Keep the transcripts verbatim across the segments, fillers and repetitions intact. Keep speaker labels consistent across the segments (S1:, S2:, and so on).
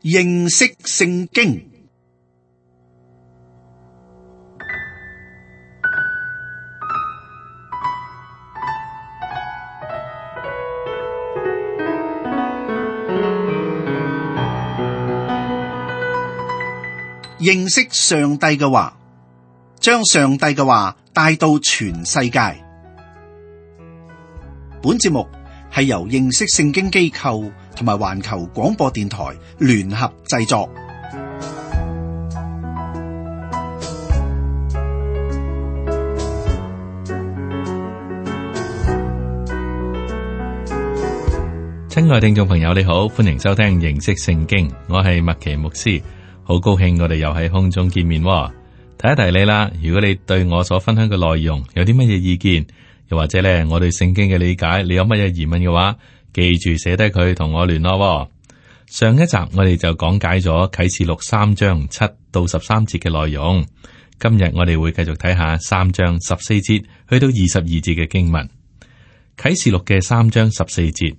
S1: 認識聖經。認識上帝嘅話，將上帝嘅話帶到全世界。本節目係由認識聖經機構同埋環球廣播電台聯合製作。
S2: 親愛聽眾朋友，你好，歡迎收聽認識聖經，我係麥奇牧師。好高興我哋又喺空中見面，提一提你啦。如果你對我所分享嘅內容有啲乜嘢意見，又或者咧我對聖經嘅理解，你有乜嘢疑問嘅話，記住寫低佢同我聯絡。上一集我哋就講解咗啟示錄三章七到十三節嘅內容，今日我哋會繼續睇下三章十四節去到二十二節嘅經文。啟示錄嘅三章十四節，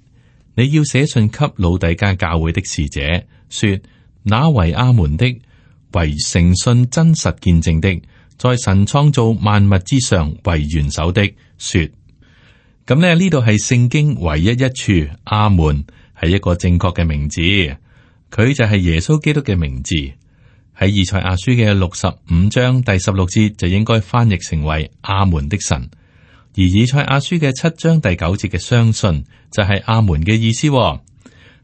S2: 你要寫信給老底嘉教會的使者，說：那為阿門的，為誠信真實見證的，在神創造萬物之上為元首的，說。咁呢呢度係聖經唯一一處阿門係一個正確嘅名字，佢就係耶穌基督嘅名字。喺以賽亞書嘅六十五章第十六節就應該翻譯成為阿門的神，而以賽亞書嘅七章第九節嘅相信就係阿門嘅意思。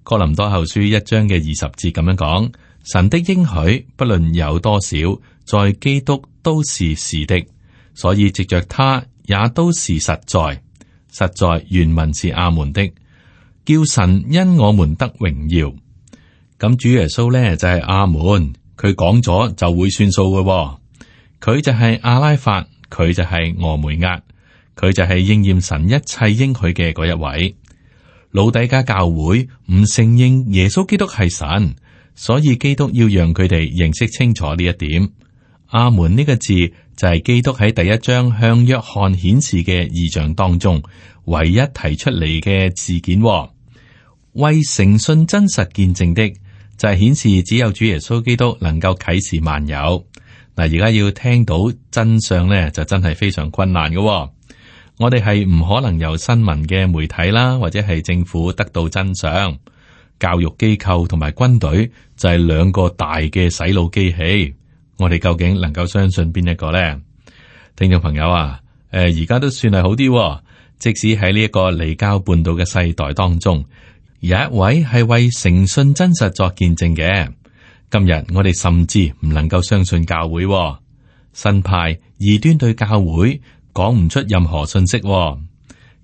S2: 哥林多後書一章嘅二十節咁樣講，神的應許不論有多少，在基督都是是的，所以藉着他也都是實在。實在原文是阿門的，叫神因我們得榮耀。咁主耶穌呢就係阿門，佢講咗就會算數嘅。佢就係阿拉法，佢就係俄梅押，佢就係應驗神一切應許嘅嗰一位。老底嘉教會唔承認耶穌基督係神，所以基督要讓佢哋認識清楚呢一點。阿門呢個字就係基督喺第一章向約翰顯示嘅異象當中唯一提出嚟嘅事件。為誠信真實見證的，就係顯示只有主耶穌基督能夠啟示萬有。嗱，而家要聽到真相呢，就真係非常困難嘅。我哋係唔可能由新聞嘅媒體啦，或者係政府得到真相。教育機構同埋軍隊就係兩個大嘅洗腦機器。我哋究竟能夠相信邊一個呢？聽眾朋友啊，誒，而家都算係好啲。即使喺呢一個離經叛道嘅世代當中，有一位係為誠信真實作見證嘅。今日我哋甚至唔能夠相信教會，新派異端對教會講唔出任何信息。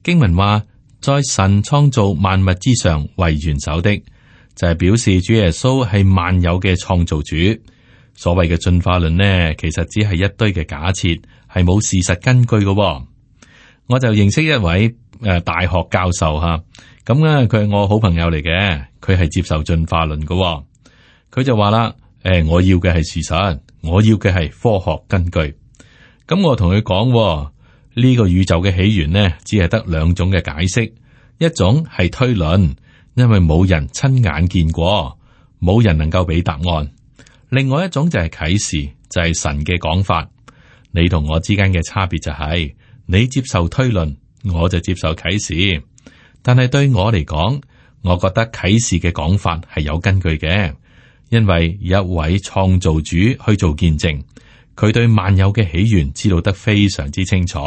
S2: 經文話，在神創造萬物之上為元首的，就係、是、表示主耶穌係萬有嘅創造主。所謂嘅進化論呢，其實只係一堆嘅假設，係冇事實根據嘅。我就認識一位誒、呃、大學教授吓，咁咧佢係我好朋友嚟嘅，佢係接受進化論嘅。佢就話啦，誒、呃，我要嘅係事實，我要嘅係科學根據。咁我同佢講，呢、這個宇宙嘅起源呢，只係得兩種嘅解釋，一種係推論，因為冇人親眼見過，冇人能夠俾答案。另外一種就係啟示，就係、是、神嘅講法。你同我之間嘅差別就係、是，你接受推論，我就接受啟示。但係對我嚟講，我覺得啟示嘅講法係有根據嘅，因為有一位創造主去做見證，佢對萬有嘅起源知道得非常之清楚。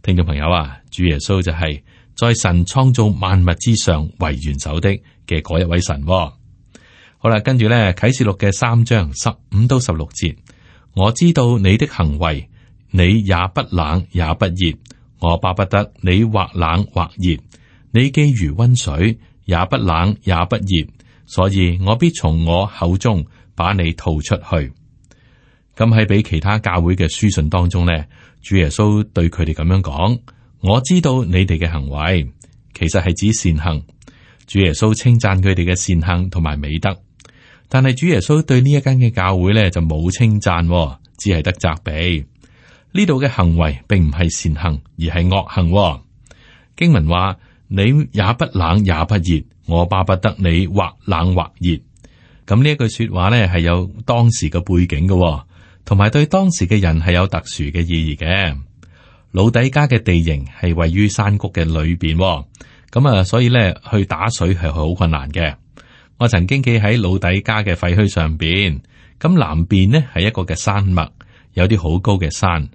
S2: 聽眾朋友啊，主耶穌就係在神創造萬物之上為元首的嘅嗰一位神。好啦，跟住咧啟示錄嘅三章十五到十六節，我知道你的行為，你也不冷也不熱，我巴不得你或冷或熱，你既如溫水，也不冷也不熱，所以我必從我口中把你吐出去。咁喺俾其他教會嘅書信當中呢，主耶穌對佢哋咁樣講：我知道你哋嘅行為，其實係指善行。主耶穌稱讚佢哋嘅善行同埋美德。但係主耶穌對呢一間嘅教會咧就冇稱讚，只係得責備。呢度嘅行為並唔係善行，而係惡行。經文話：你也不冷也不熱，我巴不得你或冷或熱。咁呢一句說話咧係有當時嘅背景嘅，同埋對當時嘅人係有特殊嘅意義嘅。老底嘉嘅地形係位於山谷嘅裏邊，咁啊，所以咧去打水係好困難嘅。我曾經企喺老底嘉嘅廢墟上邊，咁南邊呢係一個嘅山脈，有啲好高嘅山。誒、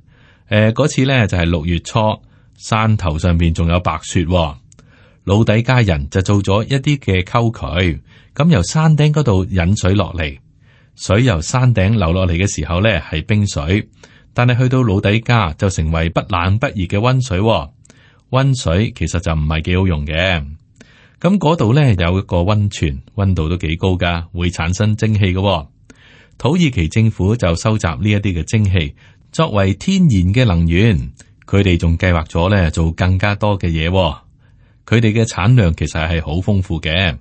S2: 呃，嗰次咧就係、是、六月初，山頭上邊仲有白雪。老底嘉人就做咗一啲嘅溝渠，咁由山頂嗰度引水落嚟，水由山頂流落嚟嘅時候咧係冰水，但係去到老底嘉就成為不冷不熱嘅溫水。溫水其實就唔係幾好用嘅。咁嗰度咧有一個溫泉，溫度都幾高噶，會產生蒸氣嘅。土耳其政府就收集呢一啲嘅蒸氣，作為天然嘅能源。佢哋仲計劃咗咧做更加多嘅嘢。佢哋嘅產量其實係好豐富嘅，呢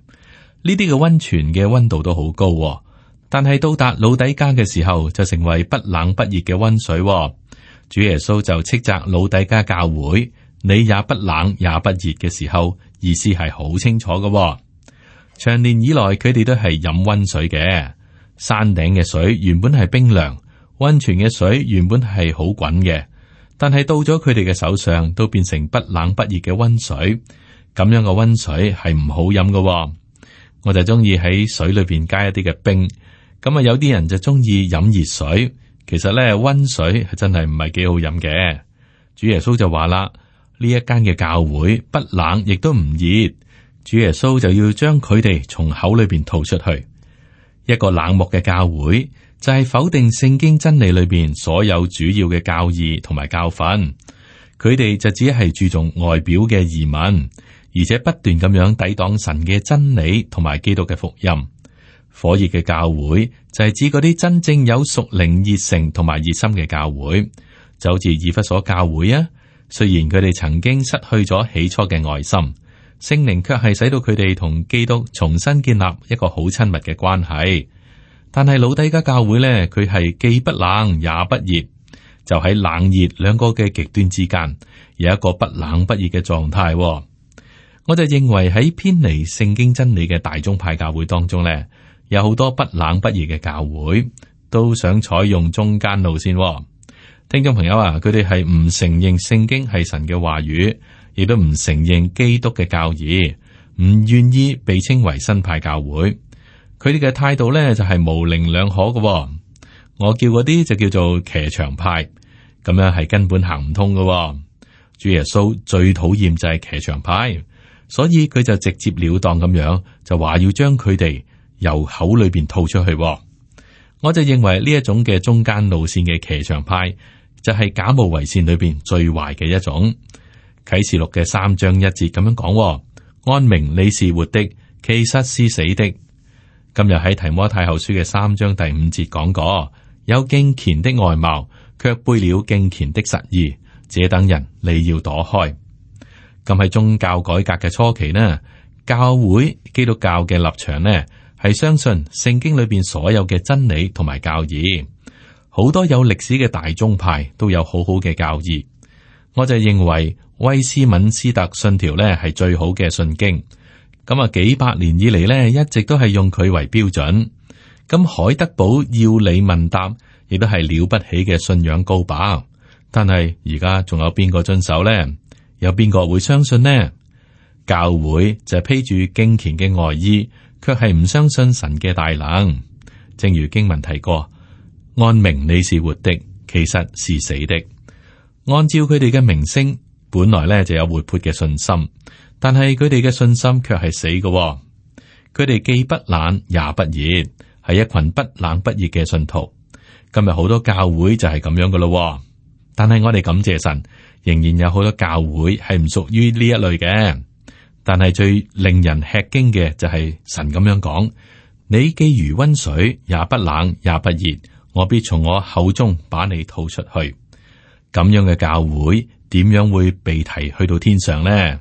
S2: 啲嘅溫泉嘅溫度都好高，但係到達老底嘉嘅時候就成為不冷不熱嘅溫水。主耶穌就斥責老底嘉教會，你也不冷也不熱嘅時候，意思係好清楚嘅。長年以來佢哋都係飲溫水嘅，山頂嘅水原本係冰涼，溫泉嘅水原本係好滾嘅，但係到咗佢哋嘅手上都變成不冷不熱嘅溫水。咁樣嘅溫水係唔好飲嘅。我就中意喺水裏邊加一啲嘅冰。咁啊，有啲人就中意飲熱水。其實咧，溫水係真係唔係幾好飲嘅。主耶穌就話啦，呢一間嘅教會不冷亦都唔熱。主耶穌就要將佢哋從口裏邊吐出去。一個冷漠嘅教會就係否定聖經真理裏邊所有主要嘅教義同埋教訓。佢哋就只係注重外表嘅儀文，而且不斷咁樣抵擋神嘅真理同埋基督嘅福音。火熱嘅教會就係指嗰啲真正有屬靈熱誠同埋熱心嘅教會，就好似以弗所教會啊。雖然佢哋曾經失去咗起初嘅愛心，聖靈卻係使到佢哋同基督重新建立一個好親密嘅關係。但係老底嘉教會咧，佢係既不冷也不熱，就喺冷熱兩個嘅極端之間，有一個不冷不熱嘅狀態。我就認為喺偏離聖經真理嘅大宗派教會當中咧，有好多不冷不熱嘅教會都想採用中間路線。聽眾朋友啊，佢哋係唔承認聖經係神嘅話語，亦都唔承認基督嘅教義，唔願意被稱為新派教會。佢哋嘅態度咧就係模棱兩可嘅。我叫嗰啲就叫做騎牆派，咁樣係根本行唔通嘅。主耶穌最討厭就係騎牆派，所以佢就直接了當咁樣就話要將佢哋由口裏邊吐出去。我就認為呢一種嘅中間路線嘅騎牆派就係假冒為善裏邊最壞嘅一種。啟示錄嘅三章一節咁樣講：按名你是活的，其實是死的。今日喺提摩太後書嘅三章第五節講過，有敬虔的外貌，卻背了敬虔的實意，這等人你要躲開。咁喺宗教改革嘅初期呢，教會基督教嘅立場呢係相信聖經裏邊所有嘅真理同埋教義。好多有歷史嘅大宗派都有好好嘅教義。我就認為威斯敏斯特信條呢係最好嘅信經。咁啊，幾百年以嚟呢，一直都係用佢為標準。咁海德堡要理問答，亦都係了不起嘅信仰高把。但係而家仲有邊個遵守呢？有邊個會相信呢？教會就係披住敬虔嘅外衣，卻係唔相信神嘅大能。正如經文提過，按名你是活的，其實是死的。按照佢哋嘅名聲，本來咧就有活潑嘅信心。但係佢哋嘅信心卻係死嘅。哦，佢哋既不冷也不熱，係一群不冷不熱嘅信徒。今日好多教會就係咁樣嘅咯。但係我哋感謝神，仍然有好多教會係唔屬於呢一類嘅。但係最令人吃驚嘅就係神咁樣講：你既如溫水，也不冷也不熱，我必從我口中把你吐出去。咁樣嘅教會點樣會被提去到天上呢？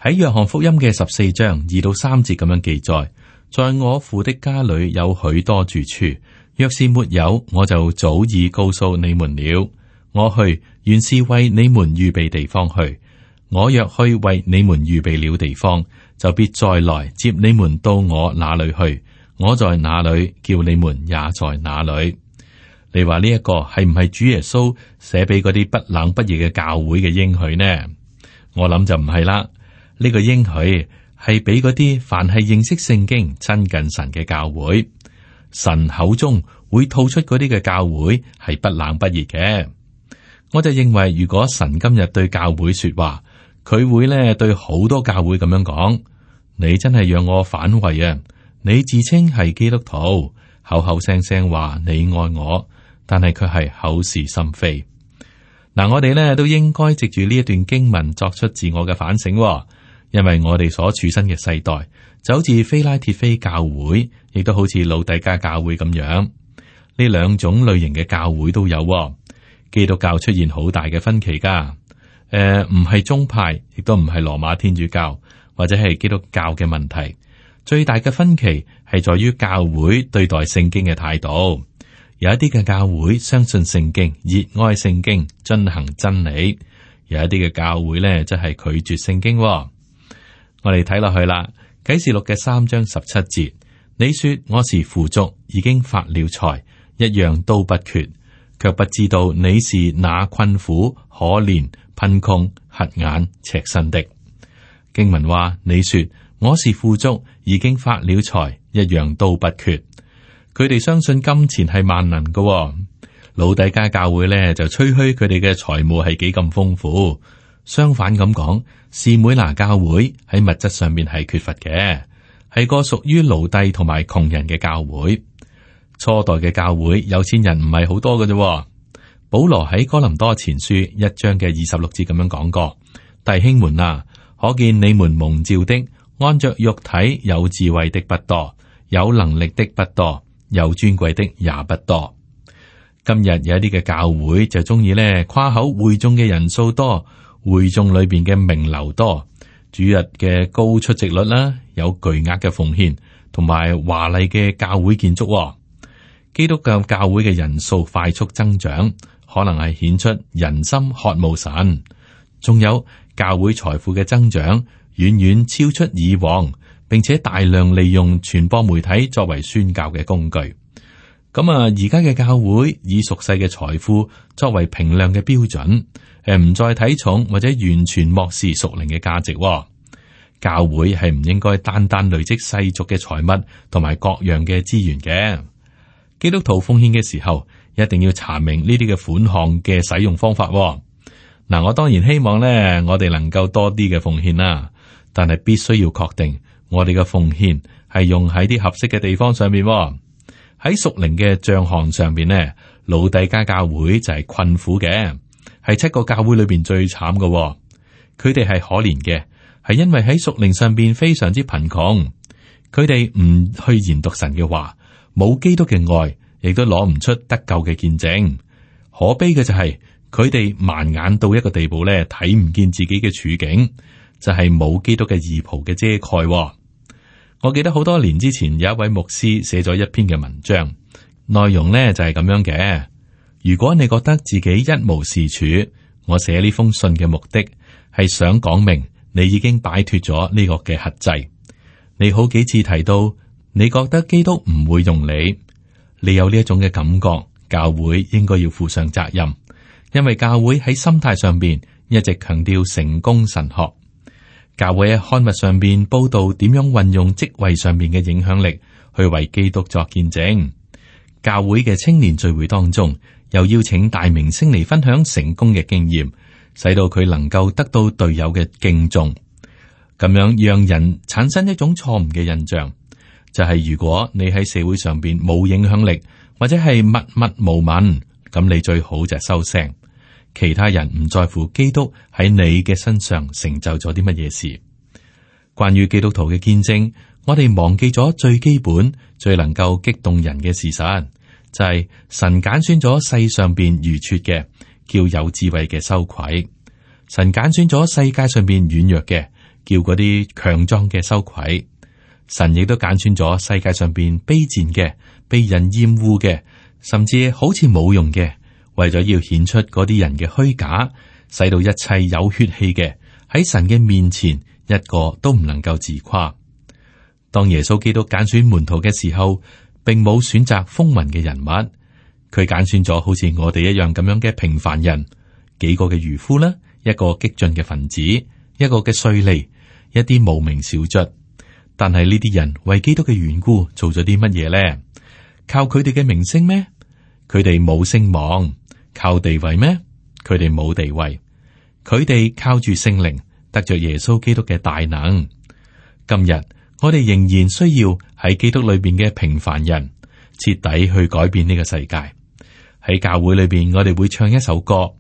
S2: 喺約翰福音嘅十四章二到三節咁樣記載，在我父的家裏有許多住處，若是沒有，我就早已告訴你們了。我去原是為你們預備地方去。我若去為你們預備了地方，就必再來接你們到我那裏去。我在哪裏，叫你們也在哪裏。你話呢一個係唔係主耶穌寫俾嗰啲不冷不熱嘅教會嘅應許呢？我諗就唔係啦。呢個應許係俾嗰啲凡係認識聖經、親近神嘅教會。神口中會吐出嗰啲嘅教會係不冷不熱嘅。我就認為，如果神今日對教會說話，佢會咧對好多教會咁樣講：你真係讓我反胃啊！你自稱係基督徒，口口聲聲話你愛我，但係卻係口是心非。嗱，我哋咧都應該藉住呢一段經文作出自我嘅反省，因為我哋所處身嘅世代就好似非拉鐵非教會，亦都好似老底嘉教會咁樣。呢兩種類型嘅教會都有。基督教出現好大嘅分歧噶，誒、呃，唔係宗派，亦都唔係羅馬天主教或者係基督教嘅問題。最大嘅分歧係在於教會對待聖經嘅態度。有一啲嘅教會相信聖經，熱愛聖經，遵行真理；有一啲嘅教會咧，即係拒絕聖經。我哋睇落去啦，《啟示錄》嘅三章十七節，你說我是富足，已經發了財，一樣都不缺。卻不知道你是那困苦、可憐、貧窮、瞎眼、赤身的。經文話：你說我是富足，已經發了財，一樣都不缺。佢哋相信金錢係萬能嘅、哦。老底嘉教會咧就吹噓佢哋嘅財務係幾咁豐富。相反咁講，士每拿教會喺物質上面係缺乏嘅，係個屬於奴隸同埋窮人嘅教會。初代嘅教會有錢人唔係好多嘅啫。保羅喺哥林多前書一章嘅二十六節咁樣講過：弟兄們啊，可見你們蒙召的，按着肉體有智慧的不多，有能力的不多，有尊貴的也不多。今日有一啲嘅教會就中意咧誇口會眾嘅人數多，會眾裏邊嘅名流多，主日嘅高出席率啦，有巨額嘅奉獻，同埋華麗嘅教會建築。基督教教會嘅人數快速增長，可能係顯出人心渴慕神。仲有教會財富嘅增長，遠遠超出以往，並且大量利用傳播媒體作為宣教嘅工具。咁啊，而家嘅教會以俗世嘅財富作為評量嘅標準，誒，唔再睇重或者完全漠視屬靈嘅價值。教會係唔應該單單累積世俗嘅財物同埋各樣嘅資源嘅。基督徒奉獻嘅時候，一定要查明呢啲嘅款項嘅使用方法。嗱，我當然希望咧，我哋能夠多啲嘅奉獻啦，但係必須要確定我哋嘅奉獻係用喺啲合適嘅地方上面。喺屬靈嘅賬項上邊呢，老底嘉教會就係困苦嘅，係七個教會裏邊最慘嘅。佢哋係可憐嘅，係因為喺屬靈上邊非常之貧窮，佢哋唔去研讀神嘅話。冇基督嘅愛，亦都攞唔出得救嘅見證。可悲嘅就係佢哋盲眼到一個地步咧，睇唔見自己嘅處境，就係、是、冇基督嘅義袍嘅遮蓋。我記得好多年之前有一位牧師寫咗一篇嘅文章，內容呢就係、是、咁樣嘅。如果你覺得自己一無是處，我寫呢封信嘅目的係想講明你已經擺脫咗呢個嘅轄制。你好幾次提到。你覺得基督唔會用你，你有呢一種嘅感覺，教會應該要負上責任，因為教會喺心態上邊一直強調成功神學，教會喺刊物上邊報道點樣運用職位上邊嘅影響力去為基督作見證。教會嘅青年聚會當中，又邀請大明星嚟分享成功嘅經驗，使到佢能夠得到隊友嘅敬重，咁樣讓人產生一種錯誤嘅印象。就係如果你喺社會上邊冇影響力，或者係默默無聞，咁你最好就係收聲。其他人唔在乎基督喺你嘅身上成就咗啲乜嘢事。關於基督徒嘅見證，我哋忘記咗最基本、最能夠激動人嘅事實，就係神揀選咗世上邊愚拙嘅，叫有智慧嘅羞愧；神揀選咗世界上邊軟弱嘅，叫嗰啲強壯嘅羞愧。神亦都揀選咗世界上邊卑賤嘅、被人厭惡嘅，甚至好似冇用嘅，為咗要顯出嗰啲人嘅虛假，使到一切有血氣嘅喺神嘅面前一個都唔能夠自誇。當耶穌基督揀選門徒嘅時候，並冇選擇風雲嘅人物，佢揀選咗好似我哋一樣咁樣嘅平凡人，幾個嘅漁夫啦，一個激進嘅分子，一個嘅稅吏，一啲無名小卒。但係呢啲人為基督嘅緣故做咗啲乜嘢咧？靠佢哋嘅名聲咩？佢哋冇聲望。靠地位咩？佢哋冇地位。佢哋靠住聖靈，得着耶穌基督嘅大能。今日我哋仍然需要喺基督裏邊嘅平凡人，徹底去改變呢個世界。喺教會裏邊，我哋會唱一首歌。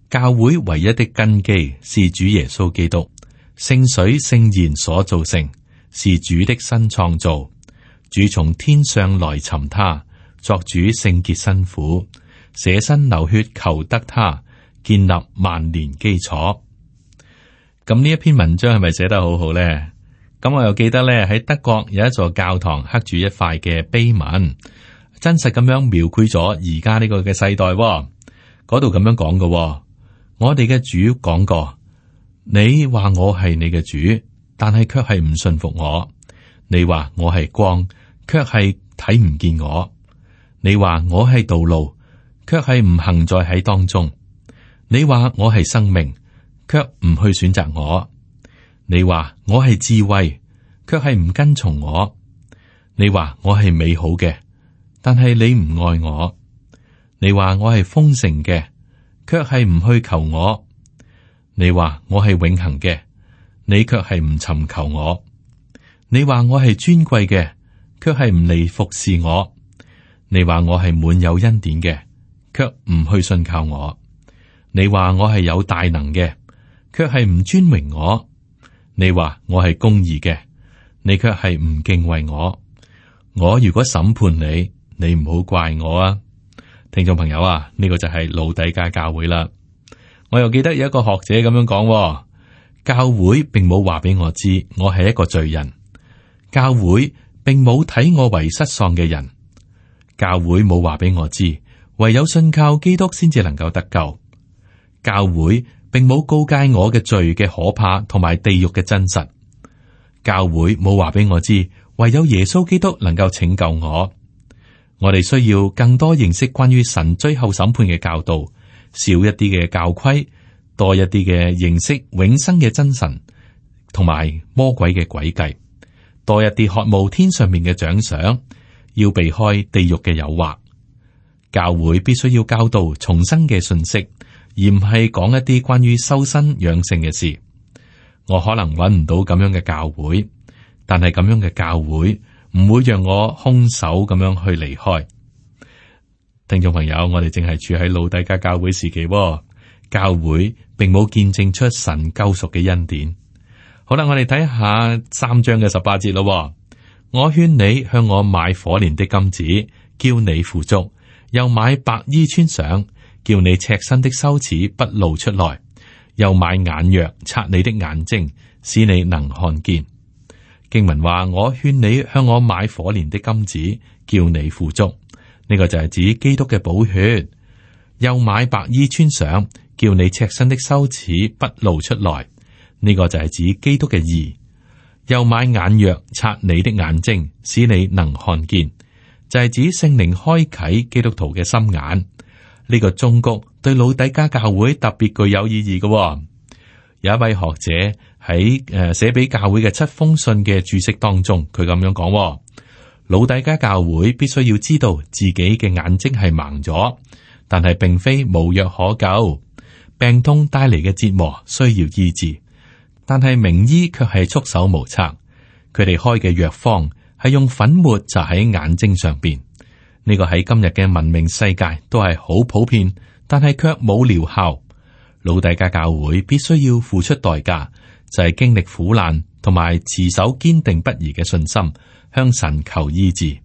S2: 教會唯一的根基是主耶穌基督，聖水聖言所造成，是主的新創造。主從天上來尋他，作主聖潔新婦，捨身流血求得他，建立萬年基礎。咁呢一篇文章係咪寫得好好咧？咁我又記得咧，喺德國有一座教堂刻住一塊嘅碑文，真實咁樣描繪咗而家呢個嘅世代。嗰度咁樣講嘅，我哋嘅主講過，你話我係你嘅主，但係卻係唔信服我。你話我係光，卻係睇唔見我。你話我係道路，卻係唔行在喺當中。你話我係生命，卻唔去選擇我。你話我係智慧，卻係唔跟從我。你話我係美好嘅，但係你唔愛我。你話我係豐盛嘅，卻係唔去求我。你話我係永恆嘅，你卻係唔尋求我。你話我係尊貴嘅，卻係唔嚟服侍我。你話我係滿有恩典嘅，卻唔去信靠我。你話我係有大能嘅，卻係唔尊榮我。你話我係公義嘅，你卻係唔敬畏我。我如果審判你，你唔好怪我啊！聽眾朋友啊，呢、這個就係老底嘉教會啦。我又記得有一個學者咁樣講，教會並冇話俾我知我係一個罪人，教會並冇睇我為失喪嘅人，教會冇話俾我知唯有信靠基督先至能夠得救，教會並冇告誡我嘅罪嘅可怕同埋地獄嘅真實，教會冇話俾我知唯有耶穌基督能夠拯救我。我哋需要更多認識關於神最後審判嘅教導，少一啲嘅教規，多一啲嘅認識永生嘅真神同埋魔鬼嘅詭計，多一啲渴慕天上面嘅獎賞，要避開地獄嘅誘惑。教會必須要教導重生嘅信息，而唔係講一啲關於修身養性嘅事。我可能揾唔到咁樣嘅教會，但係咁樣嘅教會唔會讓我空手咁樣去離開。聽眾朋友，我哋淨係處喺老底嘉教會時期，教會並冇見證出神救贖嘅恩典。好啦，我哋睇下三章嘅十八節咯。我勸你向我買火煉的金子，叫你富足；又買白衣穿上，叫你赤身的羞恥不露出來；又買眼藥擦你的眼睛，使你能看見。經文話：我勸你向我買火煉的金子，叫你富足。呢、這個就係指基督嘅寶血。又買白衣穿上，叫你赤身的羞恥不露出來。呢、這個就係指基督嘅義。又買眼藥擦你的眼睛，使你能看見。就係、是、指聖靈開啟基督徒嘅心眼。呢、這個忠告對老底嘉教會特別具有意義嘅、哦。有一位學者喺誒寫俾教會嘅七封信嘅注釋當中，佢咁樣講、哦：老底嘉教會必須要知道自己嘅眼睛係盲咗，但係並非無藥可救。病痛帶嚟嘅折磨需要醫治，但係名醫卻係束手無策。佢哋開嘅藥方係用粉末搽喺眼睛上邊。呢、這個喺今日嘅文明世界都係好普遍，但係卻冇療效。老底嘉教會必須要付出代價，就係、是、經歷苦難同埋持守堅定不移嘅信心，向神求醫治。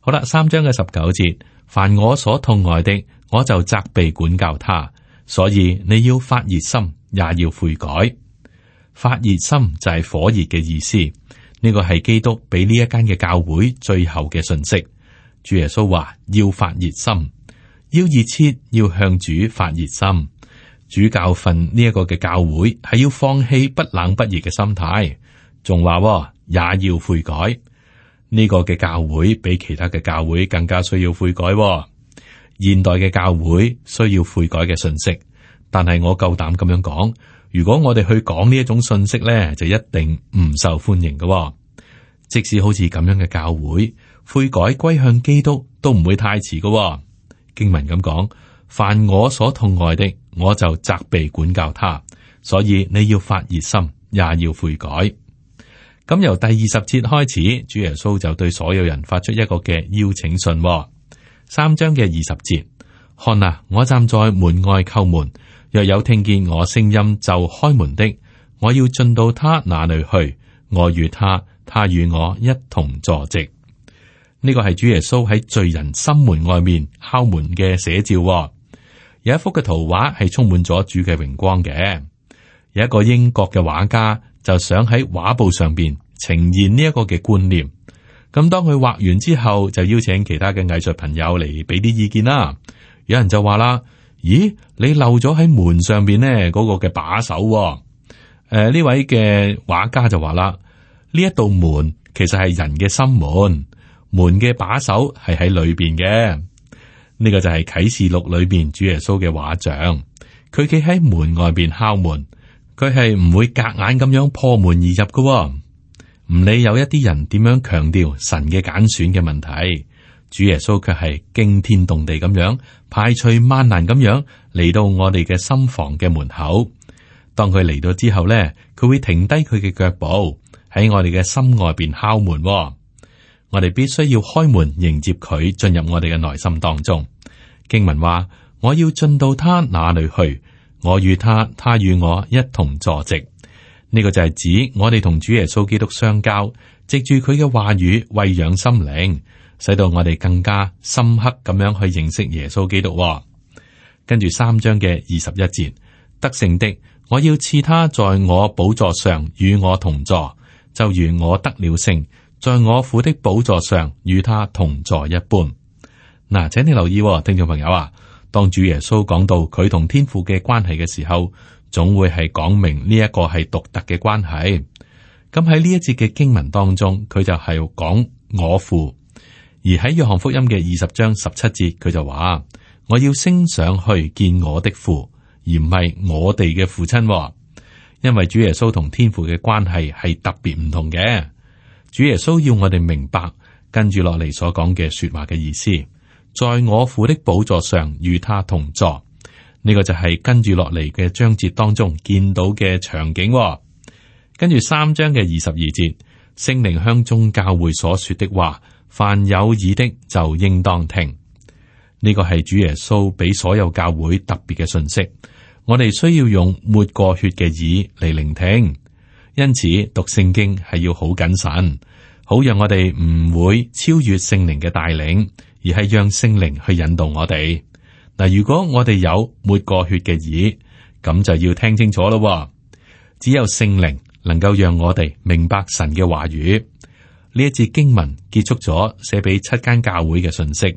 S2: 好啦，三章嘅十九節，凡我所痛愛的，我就責備管教他。所以你要發熱心，也要悔改。發熱心就係火熱嘅意思。呢、這個係基督俾呢一間嘅教會最後嘅信息。主耶穌話要發熱心，要熱切，要向主發熱心。主教訓呢一個嘅教會係要放棄不冷不熱嘅心態，仲話也要悔改。呢個嘅教會比其他嘅教會更加需要悔改喎。現代嘅教會需要悔改嘅信息，但係我夠膽咁樣講，如果我哋去講呢一種信息咧，就一定唔受歡迎嘅喎。即使好似咁樣嘅教會，悔改歸向基督都唔會太遲嘅喎。經文咁講，凡我所痛愛的，我就責備管教他。所以你要發熱心，也要悔改。咁由第二十節開始，主耶穌就對所有人發出一個嘅邀請信喎。三章嘅二十節，看啊，我站在門外叩門，若有聽見我聲音就開門的，我要進到他那裏去，我與他，他與我一同坐席。呢個係主耶穌喺罪人心門外面敲門嘅寫照喎。有一幅嘅圖畫係充滿咗主嘅榮光嘅。有一個英國嘅畫家就想喺畫布上邊呈現呢一個嘅觀念。咁當佢畫完之後，就邀請其他嘅藝術朋友嚟俾啲意見啦。有人就話啦：咦，你漏咗喺門上邊呢嗰個嘅把手喎。誒、呃，呢位嘅畫家就話啦：呢一道門其實係人嘅心門，門嘅把手係喺裏邊嘅。呢個就係啟示錄裏邊主耶穌嘅畫像，佢企喺門外邊敲門，佢係唔會夾硬咁樣破門而入嘅喎。唔理有一啲人點樣強調神嘅揀選嘅問題，主耶穌卻係驚天動地咁樣排除萬難咁樣嚟到我哋嘅心房嘅門口。當佢嚟到之後咧，佢會停低佢嘅腳步喺我哋嘅心外邊敲門喎。我哋必須要開門迎接佢進入我哋嘅內心當中。經文話：我要進到他那裏去，我與他，他與我一同坐席。呢個就係指我哋同主耶穌基督相交，藉住佢嘅話語餵養心靈，使到我哋更加深刻咁樣去認識耶穌基督喎。跟住三章嘅二十一節，得勝的，我要賜他在我寶座上與我同坐，就如我得了勝，在我父的寶座上與他同坐一般。嗱，請你留意喎，聽眾朋友啊，當主耶穌講到佢同天父嘅關係嘅時候，總會係講明呢一個係獨特嘅關係。咁喺呢一節嘅經文當中，佢就係講我父；而喺約翰福音嘅二十章十七節，佢就話我要升上去見我的父，而唔係我哋嘅父親。因為主耶穌同天父嘅關係係特別唔同嘅。主耶穌要我哋明白跟住落嚟所講嘅說話嘅意思，在我父的寶座上與他同坐。呢個就係跟住落嚟嘅章節當中見到嘅場景。跟住三章嘅二十二節，聖靈向眾教會所說的話，凡有耳的就應當聽。呢個係主耶穌俾所有教會特別嘅信息，我哋需要用抹過血嘅耳嚟聆聽。因此讀聖經係要好謹慎，好讓我哋唔會超越聖靈嘅帶領，而係讓聖靈去引導我哋。嗱，如果我哋有抹過血嘅耳，咁就要聽清楚咯。只有聖靈能夠讓我哋明白神嘅話語。呢一節經文結束咗寫俾七間教會嘅信息，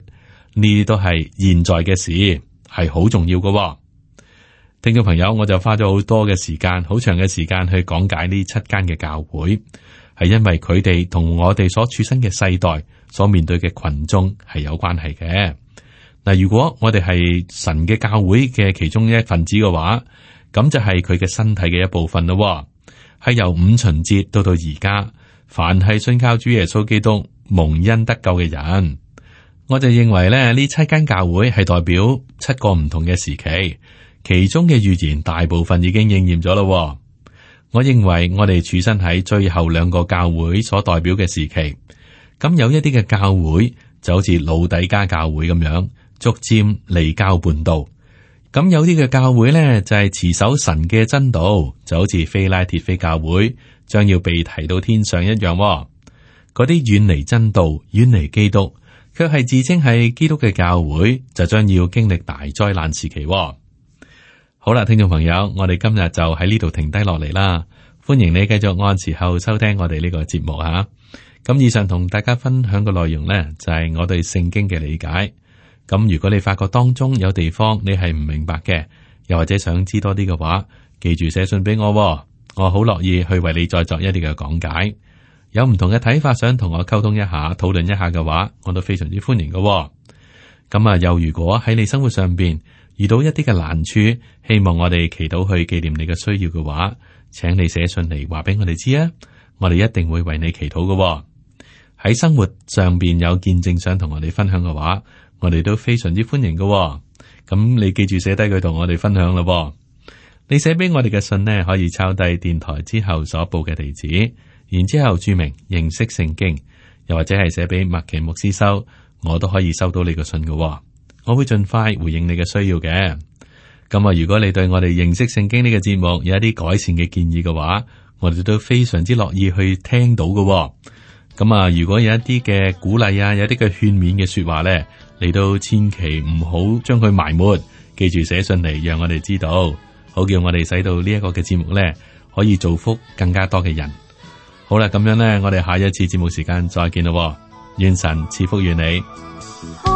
S2: 呢啲都係現在嘅事，係好重要嘅。聽眾朋友，我就花咗好多嘅時間，好長嘅時間去講解呢七間嘅教會，係因為佢哋同我哋所處身嘅世代所面對嘅群眾係有關係嘅。嗱，如果我哋係神嘅教會嘅其中一份子嘅話，咁就係佢嘅身體嘅一部分咯。係由五旬節到到而家，凡係信靠主耶穌基督蒙恩得救嘅人，我就認為咧，呢七間教會係代表七個唔同嘅時期，其中嘅預言大部分已經應驗咗咯。我認為我哋處身喺最後兩個教會所代表嘅時期，咁有一啲嘅教會就好似老底嘉教會咁樣，逐漸離教叛道。咁有啲嘅教會呢，就係持守神嘅真道，就好似非拉鐵非教會將要被提到天上一樣。嗰啲遠離真道、遠離基督，卻係自稱係基督嘅教會，就將要經歷大災難時期。好啦，聽眾朋友，我哋今日就喺呢度停低落嚟啦。歡迎你繼續按時候收聽我哋呢個節目吓。咁以上同大家分享嘅內容呢，就係我對聖經嘅理解。咁如果你發覺當中有地方你係唔明白嘅，又或者想知多啲嘅話，記住寫信俾我，我好樂意去為你再作一啲嘅講解。有唔同嘅睇法，想同我溝通一下、討論一下嘅話，我都非常之歡迎嘅喎。咁啊，又如果喺你生活上邊遇到一啲嘅難處，希望我哋祈禱去紀念你嘅需要嘅話，請你寫信嚟話俾我哋知啊，我哋一定會為你祈禱嘅喎。喺生活上邊有見證想同我哋分享嘅話，我哋都非常之歡迎嘅喎。咁你記住寫低佢同我哋分享咯。你寫俾我哋嘅信呢，可以抄低電台之後所報嘅地址，然之後注明認識聖經，又或者係寫俾麥奇牧師收，我都可以收到你個信嘅喎。我會盡快回應你嘅需要嘅。咁啊，如果你對我哋認識聖經呢個節目有一啲改善嘅建議嘅話，我哋都非常之樂意去聽到嘅喎。咁啊，如果有一啲嘅鼓勵啊，有一啲嘅勸勉嘅說話咧，你都千祈唔好將佢埋沒，記住寫信嚟，讓我哋知道，好叫我哋使到呢一個嘅節目咧，可以造福更加多嘅人。好啦，咁樣咧，我哋下一次節目時間再見咯。願神賜福於你。